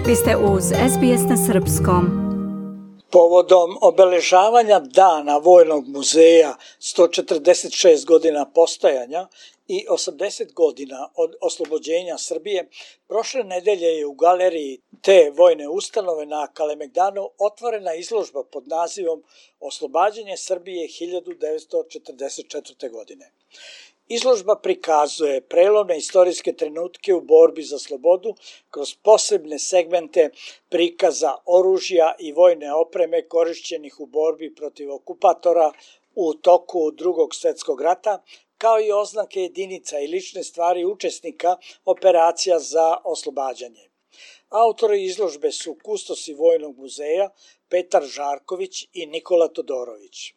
Vi ste uz SBS na srpskom. Povodom obeležavanja Dana Vojnog muzeja, 146 godina postojanja i 80 godina od oslobođenja Srbije, prošle nedelje je u galeriji te vojne ustanove na Kalemegdanu otvorena izložba pod nazivom Oslobađanje Srbije 1944. godine. Izložba prikazuje prelomne istorijske trenutke u borbi za slobodu kroz posebne segmente prikaza oružja i vojne opreme korišćenih u borbi protiv okupatora u toku Drugog svjetskog rata, kao i oznake jedinica i lične stvari učesnika operacija za oslobađanje. Autori izložbe su kustosi Vojnog muzeja Petar Žarković i Nikola Todorović.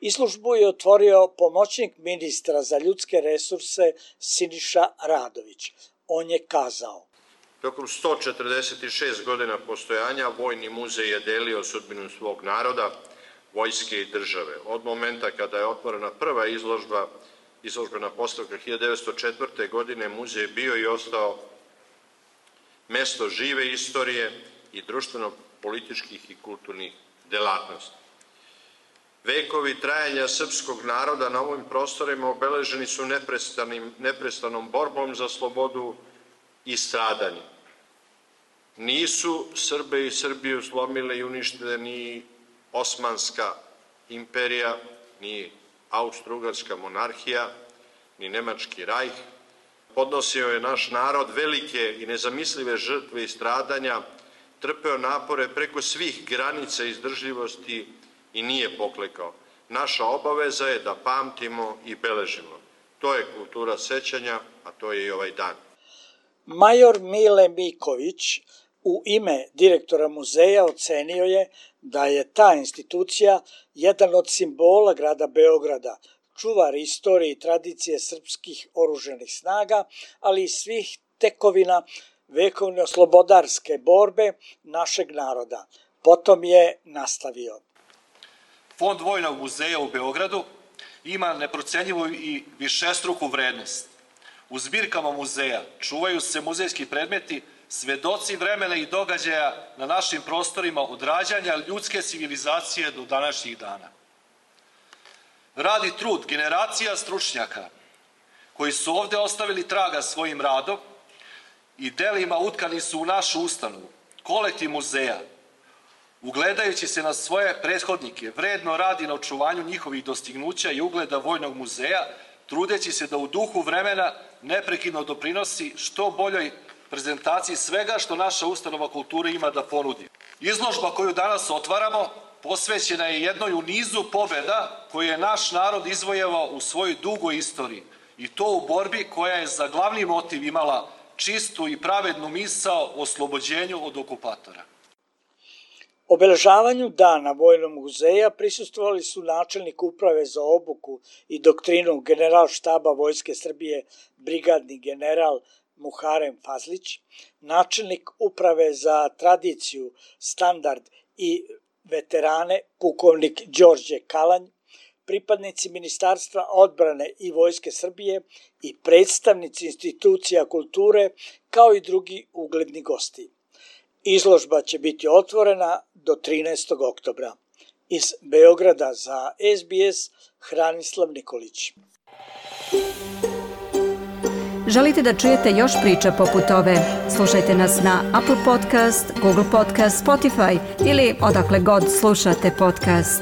Izložbu je otvorio pomoćnik ministra za ljudske resurse Siniša Radović. On je kazao: Tokom 146 godina postojanja Vojni muzej je delio sudbinu svog naroda, vojske i države. Od momenta kada je otvorena prva izložbena postavka 1904. godine, muzej bio i ostao mesto žive istorije i društveno-političkih i kulturnih delatnosti. Vekovi trajanja srpskog naroda na ovim prostorima obeleženi su neprestanom borbom za slobodu i stradanjem. Nisu Srbe i Srbiju slomile i uništile ni Osmanska imperija, ni Austro-Ugarska monarhija, ni Nemački rajh. Podnosio je naš narod velike i nezamislive žrtve i stradanja, trpeo napore preko svih granica izdržljivosti i nije poklekao. Naša obaveza je da pamtimo i beležimo. To je kultura sećanja, a to je i ovaj dan. Major Mile Miković u ime direktora muzeja ocenio je da je ta institucija jedan od simbola grada Beograda, čuvar istorije i tradicije srpskih oružanih snaga, ali i svih tekovina vekovne slobodarske borbe našeg naroda. Potom je nastavio: Fond Vojnog muzeja u Beogradu ima neprocenjivu i višestruku vrednost. U zbirkama muzeja čuvaju se muzejski predmeti, svedoci vremena i događaja na našim prostorima od rađanja ljudske civilizacije do današnjih dana. Rad i trud generacija stručnjaka koji su ovde ostavili traga svojim radom i delima utkani su u našu ustanovu. Kolektiv muzeja, ugledajući se na svoje prethodnike, vredno radi na očuvanju njihovih dostignuća i ugleda Vojnog muzeja, trudeći se da u duhu vremena neprekidno doprinosi što boljoj prezentaciji svega što naša ustanova kulture ima da ponudi. Izložba koju danas otvaramo posvećena je jednoj u nizu pobjeda koju je naš narod izvojevao u svojoj dugoj istoriji, i to u borbi koja je za glavni motiv imala čistu i pravednu misao o oslobođenju od okupatora. Obeležavanju Dana Vojnog muzeja prisustvovali su načelnik uprave za obuku i doktrinu Generalštaba Vojske Srbije brigadni general Muharem Fazlić, načelnik uprave za tradiciju, standard i veterane pukovnik Đorđe Kalanj, pripadnici Ministarstva odbrane i Vojske Srbije i predstavnici institucija kulture, kao i drugi ugledni gosti. Izložba će biti otvorena do 13. oktobra. Iz Beograda za SBS, Hranislav Nikolić. Želite da čujete još priča poput ove? Slušajte nas na Apple Podcast, Google Podcast, Spotify ili odakle god slušate podcast.